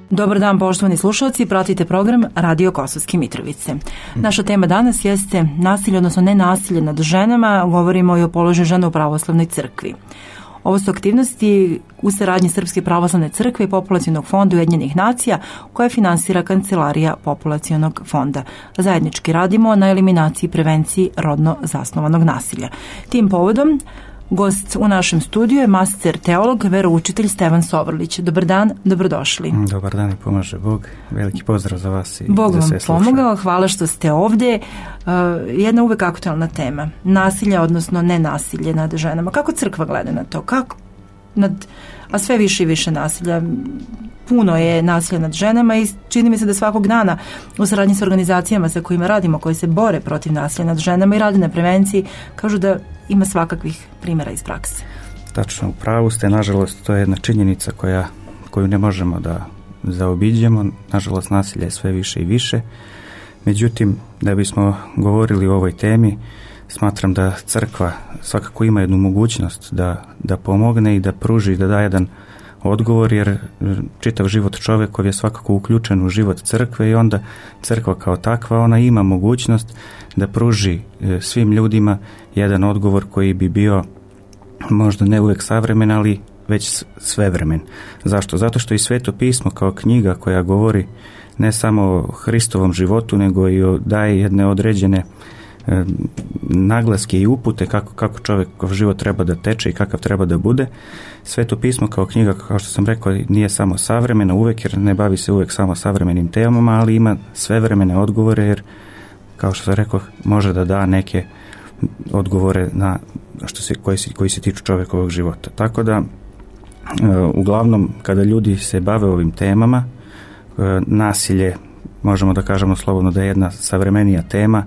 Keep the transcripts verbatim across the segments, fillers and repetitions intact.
Dobar dan, poštovani slušalci, pratite program Radio Kosovske Mitrovice. Naša tema danas jeste nasilje, odnosno nenasilje nad ženama. Govorimo i o položaju žena u pravoslavnoj crkvi. Ovo su aktivnosti u saradnji Srpske pravoslavne crkve i Populacionog fonda Ujedinjenih nacija koje finansira Kancelarija Populacionog fonda. Zajednički radimo na eliminaciji i prevenciji rodno zasnovanog nasilja. Tim povodom gost u našem studiju je master teolog, veroučitelj Stevan Sovrlić. Dobar dan, dobrodošli. Dobar dan i pomaže Bog. Veliki pozdrav za vas i Bog za sve vam slušaju. pomogao, hvala što ste ovdje. Uh, jedna uvek aktualna tema. Nasilje, odnosno nenasilje nad ženama. Kako crkva gleda na to? Kako nad, a sve više i više nasilja. Puno je nasilja nad ženama i čini mi se da svakog dana u saradnji s organizacijama sa kojima radimo, koji se bore protiv nasilja nad ženama i rade na prevenciji, kažu da ima svakakvih primjera iz prakse. Tačno, u pravu ste, nažalost, to je jedna činjenica koja, koju ne možemo da zaobiđemo. Nažalost, nasilja je sve više i više. Međutim, da bismo govorili o ovoj temi, smatram da crkva svakako ima jednu mogućnost da, da pomogne i da pruži, da da jedan odgovor, jer čitav život čovjekov je svakako uključen u život crkve i onda crkva kao takva, ona ima mogućnost da pruži svim ljudima jedan odgovor koji bi bio možda ne uvijek savremen, ali već svevremen. Zašto? Zato što i Sveto pismo kao knjiga koja govori ne samo o Hristovom životu, nego i o, daje jedne određene e, naglaske i upute kako, kako čovjekov život treba da teče i kakav treba da bude. Sveto pismo kao knjiga, kao što sam rekao, nije samo savremena uvijek, jer ne bavi se uvijek samo savremenim temama, ali ima svevremene odgovore, jer kao što sam rekao, može da da neke odgovore na što se, koji, se, koji se tiču čovjekovog života. Tako da, uglavnom, kada ljudi se bave ovim temama, nasilje, možemo da kažemo slobodno da je jedna savremenija tema,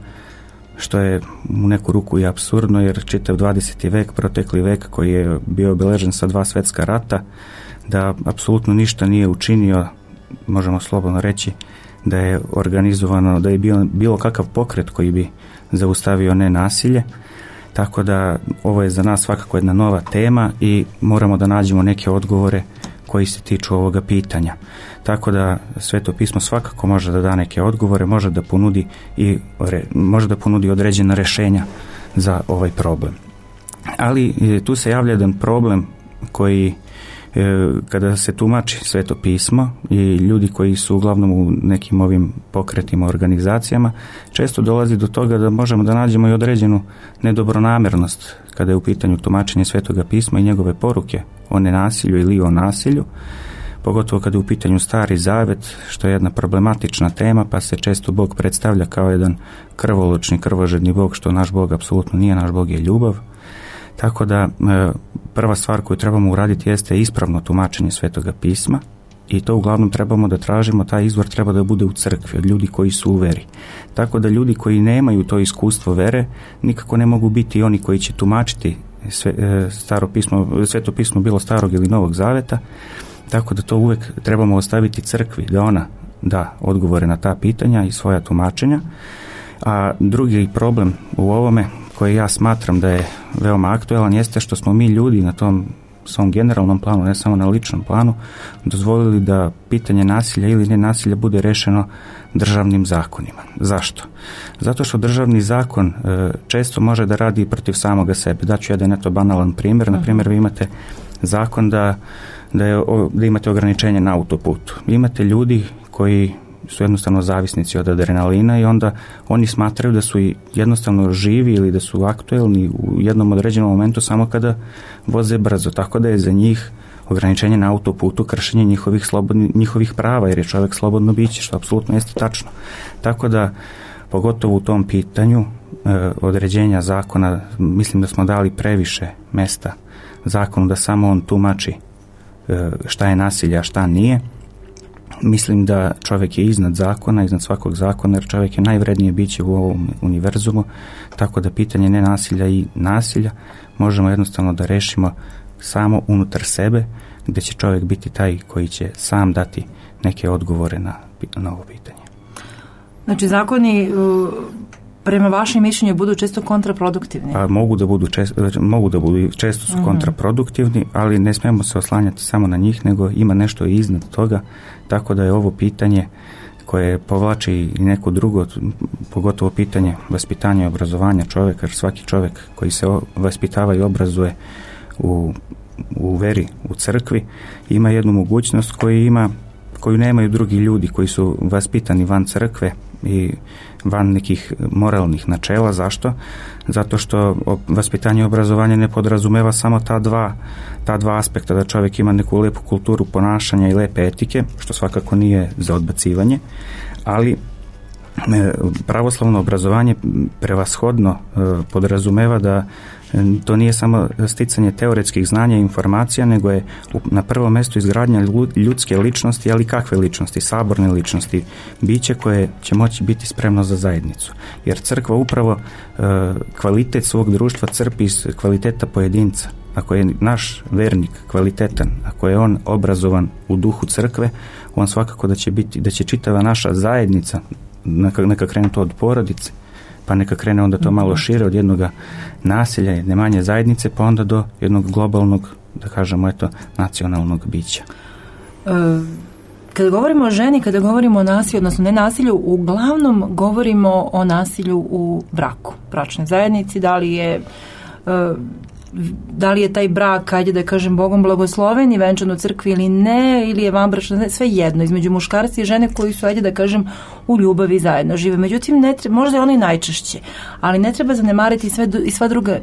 što je u neku ruku i apsurdno, jer čitav dvadeseti vek, protekli vek koji je bio obilježen sa dva svjetska rata, da apsolutno ništa nije učinio, možemo slobodno reći, da je organizovano, da je bio bilo kakav pokret koji bi zaustavio nenasilje. Tako da ovo je za nas svakako jedna nova tema i moramo da nađemo neke odgovore koji se tiču ovoga pitanja. Tako da Sveto pismo svakako može da da neke odgovore, može da ponudi i može da ponudi određena rješenja za ovaj problem. Ali tu se javlja jedan problem koji kada se tumači Sveto pismo i ljudi koji su uglavnom u nekim ovim pokretima, organizacijama, često dolazi do toga da možemo da nađemo i određenu nedobronamjernost kada je u pitanju tumačenje Svetoga pisma i njegove poruke o nenasilju ili o nasilju, pogotovo kada je u pitanju Stari Zavet, što je jedna problematična tema, pa se često Bog predstavlja kao jedan krvoločni, krvožedni Bog, što naš Bog apsolutno nije, naš Bog je ljubav. Tako da prva stvar koju trebamo uraditi jeste ispravno tumačenje Svetoga pisma i to uglavnom trebamo da tražimo, taj izvor treba da bude u crkvi, od ljudi koji su u veri. Tako da ljudi koji nemaju to iskustvo vere nikako ne mogu biti oni koji će tumačiti sve, staro pismo, Sveto pismo bilo starog ili novog zaveta, tako da to uvijek trebamo ostaviti crkvi, da ona da odgovore na ta pitanja i svoja tumačenja. A drugi problem u ovome koji ja smatram da je veoma aktuelan jeste što smo mi ljudi na tom svom generalnom planu, ne samo na ličnom planu, dozvolili da pitanje nasilja ili nenasilja bude rešeno državnim zakonima. Zašto? Zato što državni zakon e, često može da radi protiv samoga sebe. Daću jedan eto banalan primjer. Na primjer, vi imate zakon da, da, je, da imate ograničenje na autoputu. Imate ljudi koji su jednostavno zavisnici od adrenalina i onda oni smatraju da su jednostavno živi ili da su aktuelni u jednom određenom momentu samo kada voze brzo, tako da je za njih ograničenje na autoputu kršenje njihovih, slobodni, njihovih prava, jer je čovjek slobodno biće, što apsolutno jeste tačno. Tako da, pogotovo u tom pitanju e, određenja zakona, mislim da smo dali previše mesta zakonu da samo on tumači e, šta je nasilje, a šta nije. Mislim da čovjek je iznad zakona, iznad svakog zakona, jer čovjek je najvrednije biće u ovom univerzumu, tako da pitanje nenasilja i nasilja možemo jednostavno da rešimo samo unutar sebe, gdje će čovjek biti taj koji će sam dati neke odgovore na, na ovo pitanje. Znači, zakoni prema vašem mišljenju budu često kontraproduktivni? A mogu da budu često, mogu da budu, često su mm-hmm. kontraproduktivni, ali ne smemo se oslanjati samo na njih, nego ima nešto iznad toga, tako da je ovo pitanje koje povlači i neko drugo, pogotovo pitanje vaspitanja i obrazovanja čovjeka, jer svaki čovjek koji se vaspitava i obrazuje u, u veri, u crkvi, ima jednu mogućnost koju ima, koju nemaju drugi ljudi koji su vaspitani van crkve i van nekih moralnih načela. Zašto? Zato što vaspitanje i obrazovanje ne podrazumeva samo ta dva, ta dva aspekta, da čovjek ima neku lepu kulturu ponašanja i lepe etike, što svakako nije za odbacivanje, ali pravoslavno obrazovanje prevashodno podrazumeva da to nije samo sticanje teoretskih znanja i informacija, nego je na prvom mjestu izgradnja ljudske ličnosti, ali kakve ličnosti? Saborne ličnosti, biće koje će moći biti spremno za zajednicu. Jer crkva upravo kvalitet svog društva crpi iz kvaliteta pojedinca. Ako je naš vernik kvalitetan, ako je on obrazovan u duhu crkve, on svakako da će biti, da će čitava naša zajednica, neka, neka krene to od porodice, pa neka krene onda to malo šire od jednog naselja, jedne manje zajednice, pa onda do jednog globalnog, da kažemo, eto, nacionalnog bića. E, kada govorimo o ženi, kada govorimo o nasilju, odnosno ne nasilju, uglavnom govorimo o nasilju u braku, bračnoj zajednici, da li je e, da li je taj brak, ajde da kažem, Bogom blagosloven i venčan u crkvi ili ne, ili je vanbračna, sve jedno, između muškarca i žene koji su, ajde da kažem, u ljubavi zajedno žive. Međutim, ne treba, možda je ono i najčešće, ali ne treba zanemariti sve, i sva druga,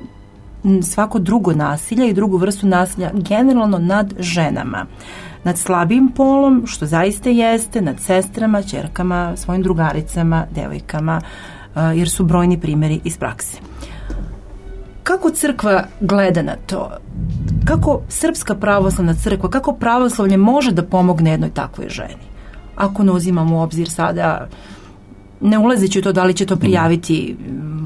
svako drugo nasilje i drugu vrstu nasilja, generalno nad ženama, nad slabijim polom, što zaista jeste, nad sestrama, ćerkama, svojim drugaricama, devojkama, jer su brojni primjeri iz prakse. Kako crkva gleda na to? Kako srpska pravoslavna crkva, kako pravoslavlje može da pomogne jednoj takvoj ženi? Ako ne uzimamo u obzir sada, ne ulazeći u to da li će to prijaviti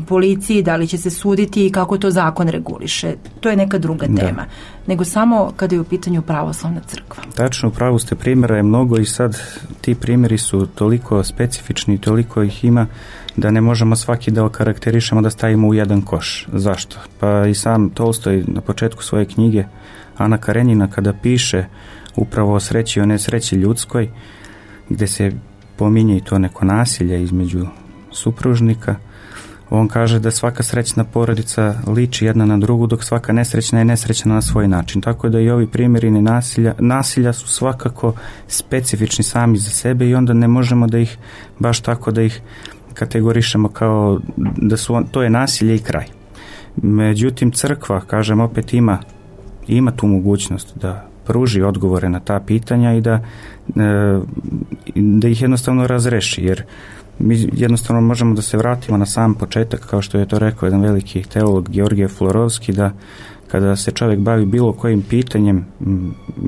policiji, da li će se suditi i kako to zakon reguliše. To je neka druga tema. Da. Nego samo kada je u pitanju pravoslavna crkva. Tačno, u pravu ste, primjera je mnogo i sad ti primjeri su toliko specifični, toliko ih ima da ne možemo svaki da okarakterišemo, da stavimo u jedan koš. Zašto? Pa i sam Tolstoj na početku svoje knjige Ana Karenjina, kada piše upravo o sreći i o nesreći ljudskoj, gdje se pominje i to neko nasilje između supružnika, on kaže da svaka srećna porodica liči jedna na drugu, dok svaka nesrećna je nesrećna na svoj način. Tako da i ovi primjeri nasilja, nasilja su svakako specifični sami za sebe i onda ne možemo da ih baš tako da ih kategorišemo kao da su, to je nasilje i kraj. Međutim, crkva, kažem, opet ima, ima tu mogućnost da pruži odgovore na ta pitanja i da, da ih jednostavno razreši, jer mi jednostavno možemo da se vratimo na sam početak, kao što je to rekao jedan veliki teolog Georgije Florovski, da kada se čovjek bavi bilo kojim pitanjem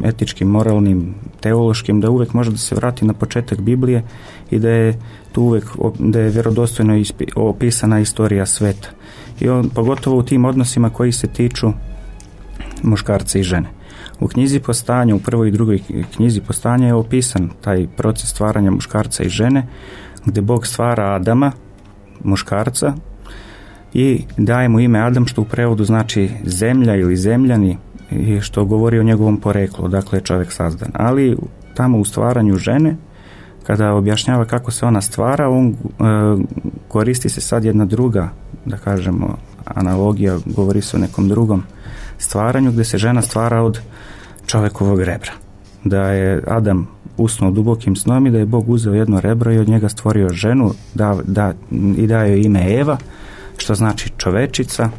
etičkim, moralnim, teološkim, da uvijek može da se vrati na početak Biblije i da je tu uvijek, da je vjerodostojno opisana istorija sveta. I on, pogotovo u tim odnosima koji se tiču muškarca i žene. U knjizi Postanja, u prvoj i drugoj knjizi Postanja je opisan taj proces stvaranja muškarca i žene, gdje Bog stvara Adama, muškarca, i daje mu ime Adam, što u prevodu znači zemlja ili zemljani, i što govori o njegovom poreklu, dakle je čovjek sazdan. Ali tamo u stvaranju žene, kada objašnjava kako se ona stvara, on e, koristi se sad jedna druga, da kažemo, analogija, govori se o nekom drugom stvaranju, gdje se žena stvara od čovjekovog rebra. Da je Adam usnuo dubokim snom i da je Bog uzeo jedno rebro i od njega stvorio ženu, da, da, i daje joj ime Eva, što znači čovečica,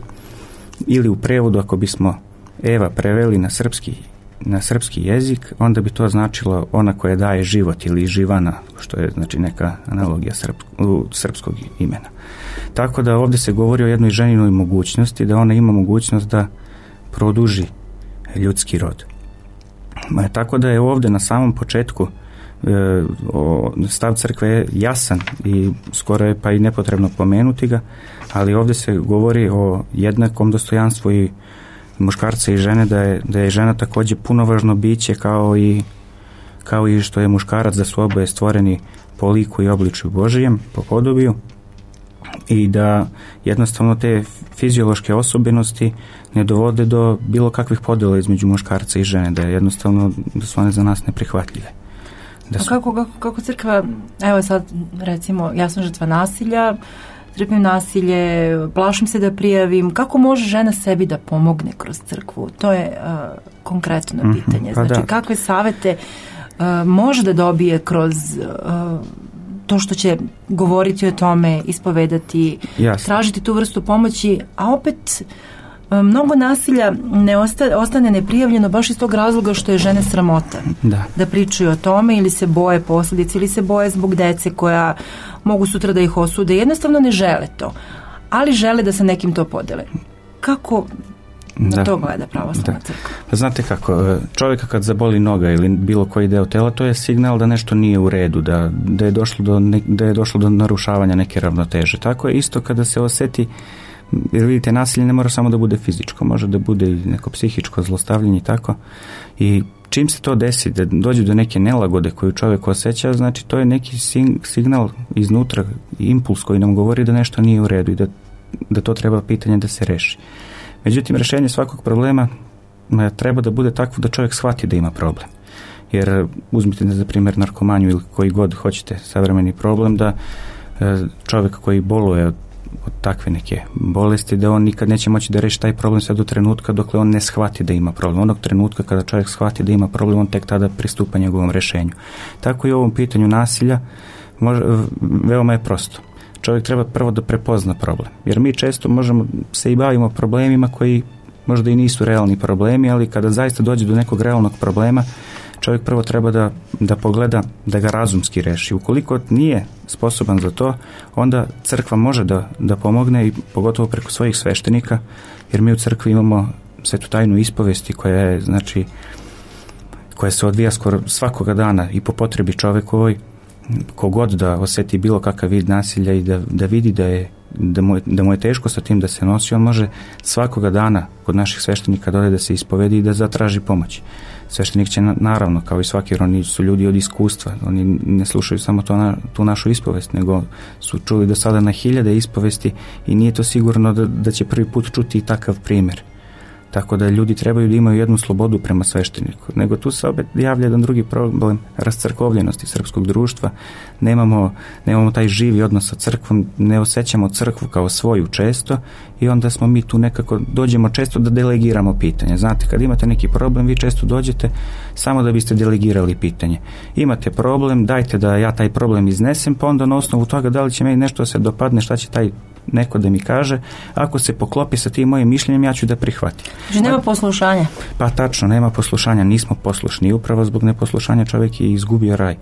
ili u prevodu, ako bismo Eva preveli na srpski, na srpski jezik, onda bi to značilo ona koja daje život ili živana, što je znači neka analogija srp, srpskog imena. Tako da ovdje se govori o jednoj ženinoj mogućnosti, da ona ima mogućnost da produži ljudski rod. Tako da je ovdje na samom početku e, o, stav crkve je jasan i skoro je pa i nepotrebno pomenuti ga, ali ovdje se govori o jednakom dostojanstvu i muškarca i žene, da je, da je žena također punovažno biće kao i, kao i što je muškarac, da su oboje stvoreni po liku i obličju Božijem, po podobiju, i da jednostavno te fiziološke osobenosti ne dovode do bilo kakvih podjela između muškarca i žene, da je jednostavno da su one za nas neprihvatljive. Da su... A kako, kako, kako crkva, evo sad recimo ja sam žrtva nasilja, trpim nasilje, plašim se da prijavim, kako može žena sebi da pomogne kroz crkvu? To je uh, konkretno mm-hmm, pitanje. pa Znači da. kakve savete uh, može da dobije kroz uh, to što će govoriti o tome, ispovedati, Jasne. tražiti tu vrstu pomoći, a opet mnogo nasilja ne osta, ostane neprijavljeno baš iz tog razloga što je žene sramota da. da pričaju o tome ili se boje posljedice ili se boje zbog dece koja mogu sutra da ih osude. Jednostavno ne žele to, ali žele da sa nekim to podele. Kako na da. to gleda pravoslavna crkva? Pa znate kako, čovjeka kad zaboli noga ili bilo koji deo tela, to je signal da nešto nije u redu, da, da, je, došlo do ne, da je došlo do narušavanja neke ravnoteže. Tako je isto kada se osjeti, jer vidite, nasilje ne mora samo da bude fizičko, može da bude i neko psihičko zlostavljanje i tako. I čim se to desi, da dođe do neke nelagode koju čovjek osjeća, znači to je neki signal iznutra, impuls koji nam govori da nešto nije u redu i da, da to treba pitanje da se reši. Međutim, rješenje svakog problema treba da bude takvo da čovjek shvati da ima problem. Jer uzmite za primjer narkomaniju ili koji god hoćete savremeni problem, da čovjek koji boluje od od takve neke bolesti, da on nikad neće moći da reši taj problem sve do trenutka dokle on ne shvati da ima problem. Onog trenutka kada čovjek shvati da ima problem, on tek tada pristupa njegovom rješenju. Tako i u ovom pitanju nasilja može, veoma je prosto. Čovjek treba prvo da prepozna problem. Jer mi često možemo se i bavimo problemima koji možda i nisu realni problemi, ali kada zaista dođe do nekog realnog problema, čovjek prvo treba da, da pogleda, da ga razumski reši. Ukoliko nije sposoban za to, onda crkva može da, da pomogne i pogotovo preko svojih sveštenika, jer mi u crkvi imamo svetu tajnu ispovesti koja je, znači, koja se odvija skoro svakoga dana i po potrebi čovjekovoj, kogod da osjeti bilo kakav vid nasilja i da, da vidi da je Da mu, je, da mu je teško sa tim da se nosi, on može svakoga dana kod naših sveštenika dole da se ispovedi i da zatraži pomoć. Sveštenik će na, naravno, kao i svaki, oni su ljudi od iskustva, oni ne slušaju samo to na, tu našu ispovest, nego su čuli do sada na hiljade ispovesti i nije to sigurno da, da će prvi put čuti i takav primjer. Tako da ljudi trebaju da imaju jednu slobodu prema svešteniku. Nego tu se opet javlja jedan drugi problem, rascrkovljenosti srpskog društva. Nemamo, nemamo taj živi odnos sa crkvom, ne osjećamo crkvu kao svoju često i onda smo mi tu nekako, dođemo često da delegiramo pitanje. Znate, kad imate neki problem, vi često dođete samo da biste delegirali pitanje. Imate problem, dajte da ja taj problem iznesem, pa onda na osnovu toga da li će meni nešto se dopadne, šta će taj neko da mi kaže, ako se poklopi sa tim mojim mišljenjem, ja ću da prihvatim. Znači nema poslušanja? Pa tačno, nema poslušanja, nismo poslušni i upravo zbog neposlušanja čovjek je izgubio raj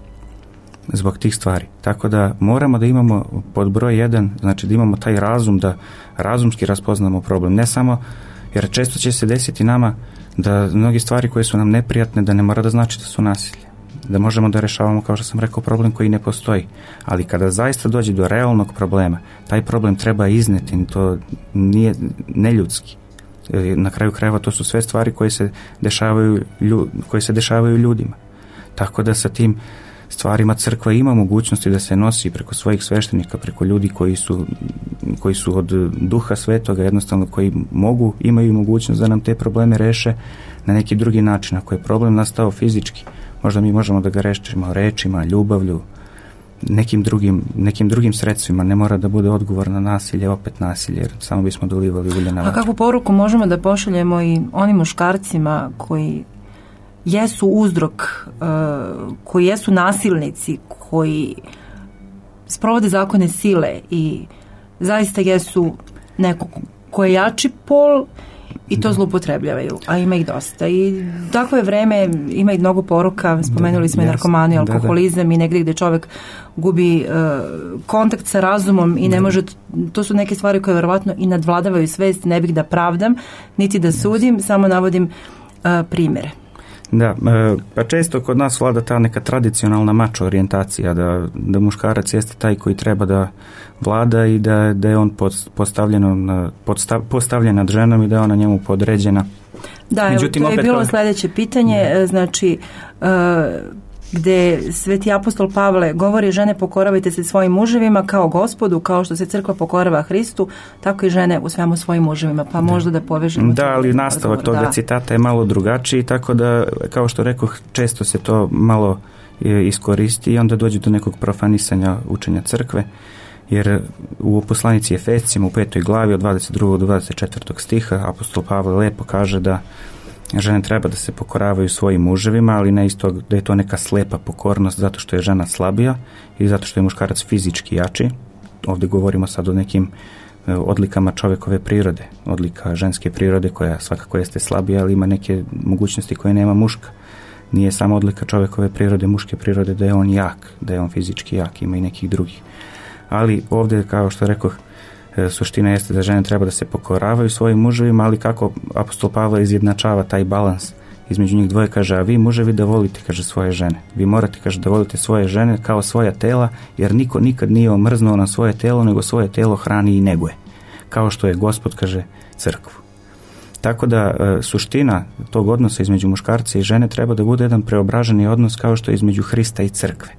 zbog tih stvari. Tako da moramo da imamo pod broj jedan, znači da imamo taj razum, da razumski raspoznamo problem, ne samo, jer često će se desiti nama da mnogi stvari koje su nam neprijatne, da ne mora da znači da su nasilje, da možemo da rešavamo, kao što sam rekao, problem koji ne postoji. Ali kada zaista dođe do realnog problema, taj problem treba izneti, to nije neljudski. Na kraju krajeva to su sve stvari koje se dešavaju, koje se dešavaju ljudima. Tako da sa tim stvarima crkva ima mogućnosti da se nosi preko svojih sveštenika, preko ljudi koji su, koji su od duha svetoga, jednostavno koji mogu, imaju mogućnost da nam te probleme reše na neki drugi način. Ako je problem nastao fizički, možda mi možemo da ga rešimo rečima, ljubavlju, nekim drugim, nekim drugim sredstvima. Ne mora da bude odgovor na nasilje, opet nasilje, jer samo bismo dolivali ulje na vatru. A kakvu poruku možemo da pošaljemo i onim muškarcima koji jesu uzrok, uh, koji jesu nasilnici, koji sprovode zakone sile i zaista jesu neko ko je jači pol i to zloupotrebljavaju, a ima ih dosta. I takvo je vreme, ima i mnogo poruka, spomenuli smo i narkomaniju, alkoholizam, da, da. I negdje gdje čovjek gubi uh, kontakt sa razumom i ne da. može, to su neke stvari koje verovatno i nadvladavaju svest, ne bih da pravdam, niti da sudim, yes. samo navodim uh, primjere. Da, pa često kod nas vlada ta neka tradicionalna mačo orijentacija, da, da muškarac jeste taj koji treba da vlada i da, da je on postavljen, podstav, postavljen nad ženom i da je ona njemu podređena. Da, međutim, to je bilo kao... sljedeće pitanje, da. Znači uh, gde sveti apostol Pavle govori žene pokoravajte se svojim muževima kao Gospodu, kao što se crkva pokorava Hristu, tako i žene u svemu svojim muževima, pa možda da povežemo. Da, ali nastavak toga da. citata je malo drugačiji, tako da, kao što rekoh, često se to malo iskoristi i onda dođe do nekog profanisanja učenja crkve, jer u poslanici Efescima u petoj glavi od dvadeset drugog do dvadeset četvrtog stiha apostol Pavle lepo kaže da žene treba da se pokoravaju svojim muževima, ali ne isto da je to neka slepa pokornost zato što je žena slabija i zato što je muškarac fizički jači. Ovdje govorimo sad o nekim odlikama čovjekove prirode, odlika ženske prirode koja svakako jeste slabija, ali ima neke mogućnosti koje nema muška. Nije samo odlika čovjekove prirode, muške prirode da je on jak, da je on fizički jak, ima i nekih drugih. Ali ovdje, kao što rekoh, suština jeste da žene treba da se pokoravaju svojim muževima, ali kako apostol Pavle izjednačava taj balans između njih dvoje, kaže, a vi muževi da volite, kaže, svoje žene. Vi morate, kaže, da volite svoje žene kao svoja tela, jer niko nikad nije omrznuo na svoje telo, nego svoje telo hrani i neguje. Kao što je Gospod, kaže, crkvu. Tako da suština tog odnosa između muškarca i žene treba da bude jedan preobraženi odnos kao što je između Hrista i crkve.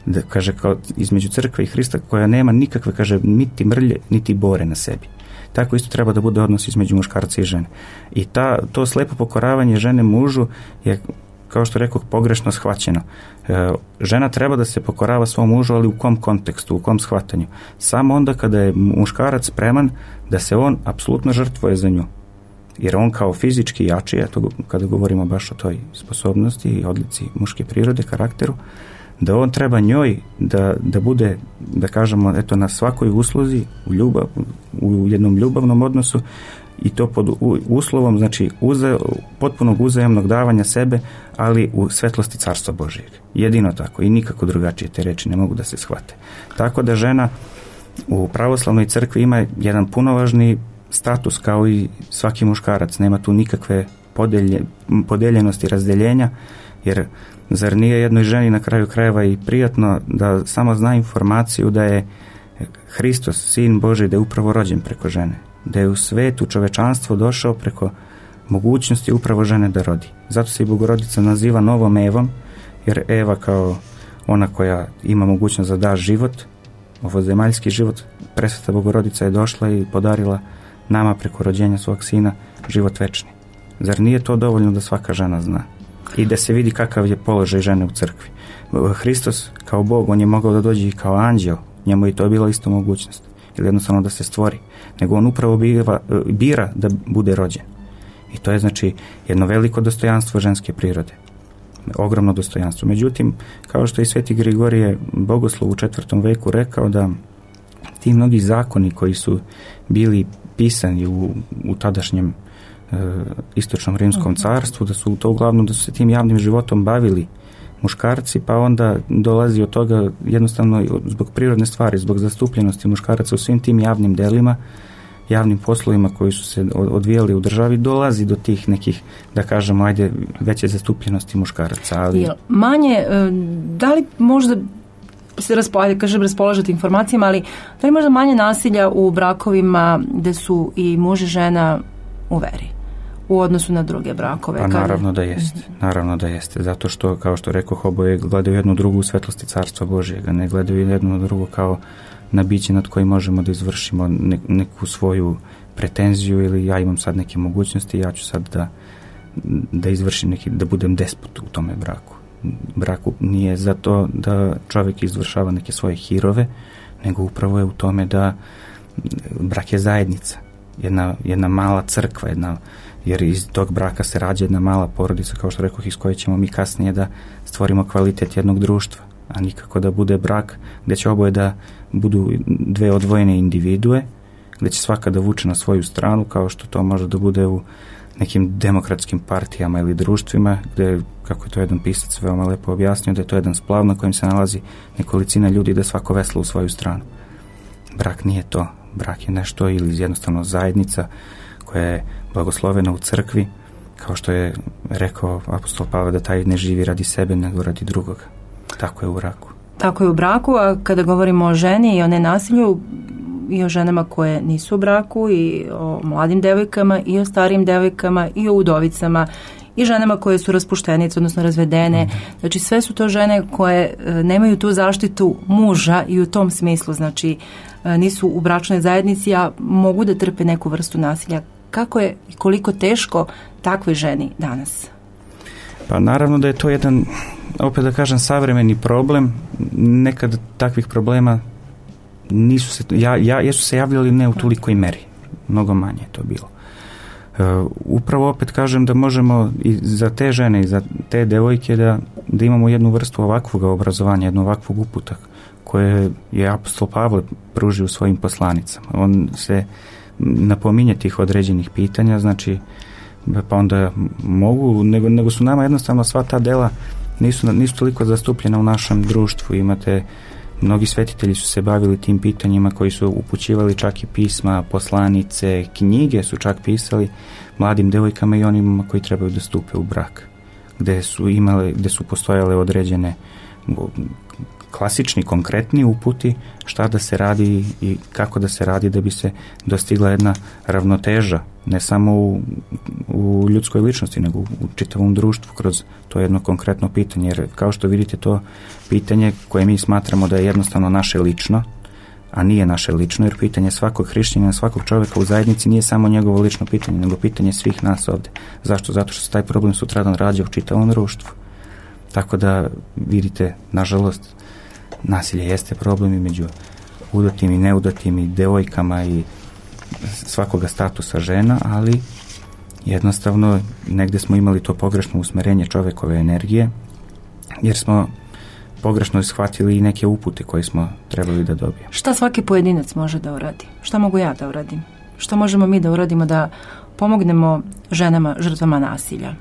Da, kaže, kao između crkve i Hrista koja nema nikakve, kaže, niti mrlje, niti bore na sebi. Tako isto treba da bude odnos između muškarca i žene. I ta, to slepo pokoravanje žene mužu je, kao što rekoh, pogrešno shvaćeno. E, žena treba da se pokorava svom mužu, ali u kom kontekstu, u kom shvatanju? Samo onda kada je muškarac spreman da se on apsolutno žrtvuje za nju. Jer on kao fizički jači, eto, kada govorimo baš o toj sposobnosti i odlici muške prirode, karakteru, da on treba njoj da, da bude, da kažemo, eto, na svakoj usluzi, u, ljubav, u jednom ljubavnom odnosu i to pod uslovom, znači, uze, potpunog uzajamnog davanja sebe, ali u svetlosti Carstva Božijeg. Jedino tako i nikako drugačije te reči ne mogu da se shvate. Tako da žena u pravoslavnoj crkvi ima jedan punovažni status kao i svaki muškarac. Nema tu nikakve podelje, podeljenosti, razdeljenja, jer zar nije jednoj ženi na kraju krajeva i prijatno da samo zna informaciju da je Hristos, Sin Božji, da je upravo rođen preko žene, da je u svetu čovečanstvo došao preko mogućnosti upravo žene da rodi. Zato se i Bogorodica naziva novom Evom, jer Eva kao ona koja ima mogućnost da da život, ovozemaljski život, Presveta Bogorodica je došla i podarila nama preko rođenja svog sina život večni. Zar nije to dovoljno da svaka žena zna? I da se vidi kakav je položaj žene u crkvi. Hristos kao Bog, on je mogao da dođe i kao anđeo, njemu je to bila isto mogućnost, ili jednostavno da se stvori, nego on upravo bira, bira da bude rođen. I to je, znači, jedno veliko dostojanstvo ženske prirode. Ogromno dostojanstvo. Međutim, kao što i sveti Grigorije Bogoslov u četvrtom veku rekao, da ti mnogi zakoni koji su bili pisani u, u tadašnjem e, istočnom rimskom carstvu, da su to uglavnom, da su se tim javnim životom bavili muškarci, pa onda dolazi od toga jednostavno zbog prirodne stvari, zbog zastupljenosti muškaraca u svim tim javnim delima, javnim poslovima koji su se odvijali u državi, dolazi do tih nekih, da kažemo, ajde, veće zastupljenosti muškaraca. Ali manje, da li možda se raspolaže, kažem, raspolažete informacijama, ali da li možda manje nasilja u brakovima gde su i muž i žena u veri u odnosu na druge brakove? Pa naravno da jeste, naravno da jeste, zato što, kao što rekoh, oboje gledaju jednu drugu u svetlosti Carstva Božijega, ne gledaju jednu drugu kao na biće nad kojim možemo da izvršimo neku svoju pretenziju, ili ja imam sad neke mogućnosti, ja ću sad da, da izvršim neki, da budem despot u tome braku. Braku nije zato da čovjek izvršava neke svoje hirove, nego upravo je u tome da brak je zajednica, jedna, jedna mala crkva, jedna, jer iz tog braka se rađa jedna mala porodica, kao što rekoh, iz koje ćemo mi kasnije da stvorimo kvalitet jednog društva, a nikako da bude brak gdje će oboje da budu dve odvojene individue, gdje će svaka da vuče na svoju stranu, kao što to može da bude u nekim demokratskim partijama ili društvima, gdje, kako je to jedan pisac veoma lepo objasnio, da je to jedan splav na kojem se nalazi nekolicina ljudi da svako vesla u svoju stranu. Brak nije to. Brak je nešto, ili jednostavno zajednica koja je blagoslovena u crkvi, kao što je rekao apostol Pavle, da taj ne živi radi sebe, nego radi drugoga. Tako je u braku. Tako je u braku, a kada govorimo o ženi i o nenasilju, i o ženama koje nisu u braku, i o mladim devojkama, i o starijim devojkama, i o udovicama, i ženama koje su raspuštenice, odnosno razvedene. Znači sve su to žene koje nemaju tu zaštitu muža i u tom smislu, znači nisu u bračnoj zajednici, a mogu da trpe neku vrstu nasilja. Kako je i koliko teško takvoj ženi danas? Pa naravno da je to jedan, opet da kažem, savremeni problem. Nekad takvih problema nisu se, ja, ja, jesu se javljali ne u tolikoj meri. Mnogo manje je to bilo. Uh, upravo opet kažem da možemo i za te žene i za te devojke da, da imamo jednu vrstu ovakvog obrazovanja, jednu ovakvog uputa koje je apostol Pavle pružio svojim poslanicama. On se napominje tih određenih pitanja, znači pa onda mogu, nego, nego su nama jednostavno sva ta dela nisu, nisu toliko zastupljena u našem društvu. Imate, mnogi svetitelji su se bavili tim pitanjima, koji su upućivali čak i pisma, poslanice, knjige su čak pisali mladim devojkama i onima koji trebaju da stupe u brak, gde su imale, gde su postojale određene klasični, konkretni uputi šta da se radi i kako da se radi da bi se dostigla jedna ravnoteža, ne samo u, u ljudskoj ličnosti, nego u čitavom društvu kroz to jedno konkretno pitanje. Jer kao što vidite, to pitanje koje mi smatramo da je jednostavno naše lično, a nije naše lično, jer pitanje svakog hrišćanina, svakog čovjeka u zajednici nije samo njegovo lično pitanje, nego pitanje svih nas ovde. Zašto? Zato što se taj problem sutradan rađa u čitavom društvu. Tako da vidite, nažalost, nasilje jeste problem i među udatim i neudatim i devojkama i svakoga statusa žena, ali jednostavno negde smo imali to pogrešno usmerenje čovekove energije, jer smo pogrešno ishvatili i neke upute koje smo trebali da dobijemo. Šta svaki pojedinac može da uradi? Šta mogu ja da uradim? Šta možemo mi da uradimo da pomognemo ženama žrtvama nasilja?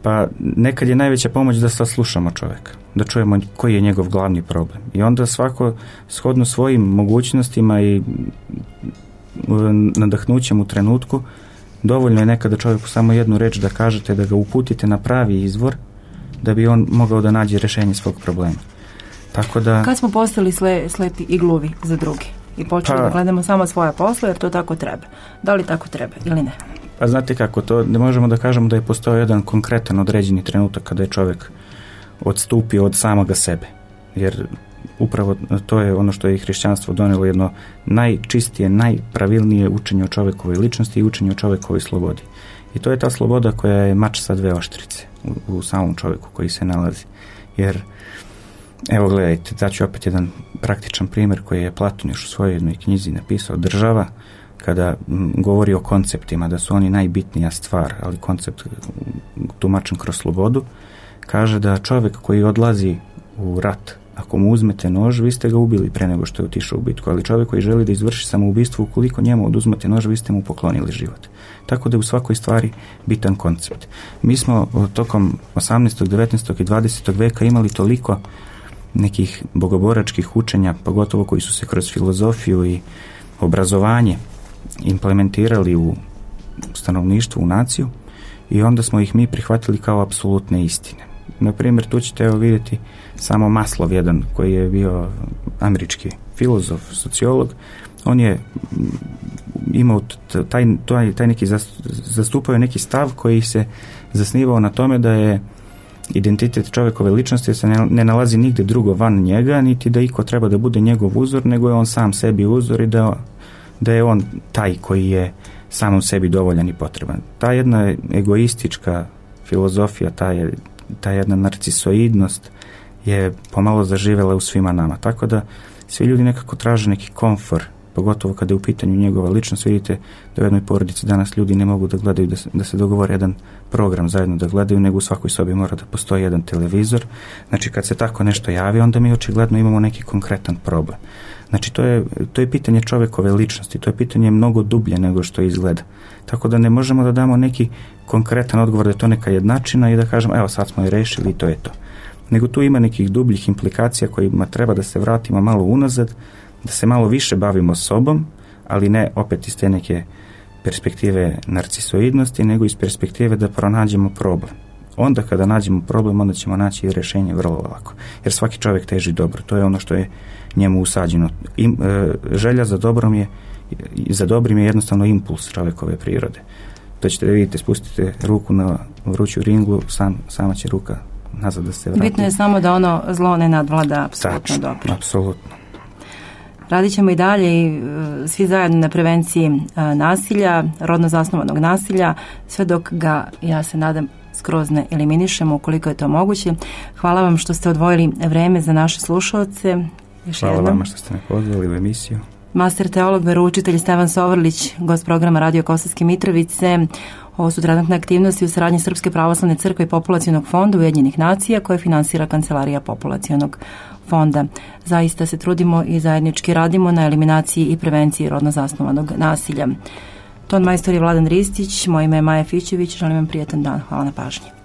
Pa nekad je najveća pomoć da saslušamo čoveka, da čujemo koji je njegov glavni problem. I onda svako shodno svojim mogućnostima i nadahnućem u trenutku, dovoljno je nekada čovjeku samo jednu reč da kažete, da ga uputite na pravi izvor, da bi on mogao da nađe rešenje svog problema. Tako da... Kad smo postali sle, slepi i gluvi za drugi i počeli pa, da gledamo samo svoja posla, jer to tako treba. Da li tako treba ili ne? Pa znate kako, to ne možemo da kažemo da je postao jedan konkretan određeni trenutak kada je čovjek odstupio od samoga sebe. Jer upravo to je ono što je i hrišćanstvo donelo, jedno najčistije, najpravilnije učenje o čovjekovoj ličnosti i učenje o čovjekovoj slobodi. I to je ta sloboda koja je mač sa dve oštrice u, u samom čovjeku koji se nalazi. Jer, evo gledajte, daću opet jedan praktičan primjer koji je Platon još u svojoj jednoj knjizi napisao, Država, kada m, govori o konceptima, da su oni najbitnija stvar, ali koncept tumačen kroz slobodu, kaže da čovjek koji odlazi u rat, ako mu uzmete nož, vi ste ga ubili pre nego što je otišao u bitku, ali čovjek koji želi da izvrši samoubistvo, ukoliko njemu oduzmete nož, vi ste mu poklonili život. Tako da je u svakoj stvari bitan koncept. Mi smo tokom osamnaestog, devetnaestog i dvadesetog veka imali toliko nekih bogoboračkih učenja, pogotovo koji su se kroz filozofiju i obrazovanje implementirali u stanovništvo, u naciju, i onda smo ih mi prihvatili kao apsolutne istine. Na primjer, tu ćete evo vidjeti samo Maslov jedan, koji je bio američki filozof, sociolog. On je imao taj, taj, taj neki zastupao je neki stav koji se zasnivao na tome da je identitet čovjekove ličnosti se ne, ne nalazi nigde drugo van njega, niti da iko treba da bude njegov uzor, nego je on sam sebi uzor i da, da je on taj koji je samom sebi dovoljan i potreban. Ta jedna egoistička filozofija, ta, je, ta jedna narcisoidnost je pomalo zaživela u svima nama. Tako da svi ljudi nekako traže neki komfor, pogotovo kada je u pitanju njegova ličnost. Vidite da u jednoj porodici danas ljudi ne mogu da gledaju, da se, da se dogovore jedan program zajedno da gledaju, nego u svakoj sobi mora da postoji jedan televizor. Znači kad se tako nešto javi, onda mi očigledno imamo neki konkretan problem. Znači to je, to je pitanje čovjekove ličnosti, to je pitanje mnogo dublje nego što izgleda. Tako da ne možemo da damo neki konkretan odgovor da je to neka jednačina i da kažemo evo sad smo je rešili i to je to. Nego tu ima nekih dubljih implikacija kojima treba da se vratimo malo unazad, da se malo više bavimo sobom, ali ne opet iz te neke perspektive narcisoidnosti, nego iz perspektive da pronađemo problem. onda kada nađemo problem, onda ćemo naći i rješenje vrlo lako. Jer svaki čovjek teži dobro. To je ono što je njemu usađeno. I, e, želja za dobrom je, za dobrim je jednostavno impuls čovjekove prirode. To ćete da vidite, spustite ruku na vruću ringlu, sam, sama će ruka nazad da se vrati. Bitno je samo da ono zlo ne nadvlada apsolutno dobro. Apsolutno. Radit ćemo i dalje i svi zajedno na prevenciji nasilja, rodno zasnovanog nasilja, sve dok ga, ja se nadam, skroz ne eliminišemo ukoliko je to moguće. Hvala vam što ste odvojili vreme za naše slušalce. Još Hvala jednom. vama što ste me pozvali u emisiju. Master teolog, veroučitelj Stevan Sovrlić, gost programa Radio Kosovske Mitrovice. Ovo su trenutne aktivnosti u saradnji Srpske pravoslavne crkve i Populacionog fonda Ujedinjenih nacija koje finansira Kancelarija Populacionog fonda. Zaista se trudimo i zajednički radimo na eliminaciji i prevenciji rodno zasnovanog nasilja. Ton majstor je Vladan Ristić, moje ime je Maja Fićević, želim vam prijetan dan. Hvala na pažnji.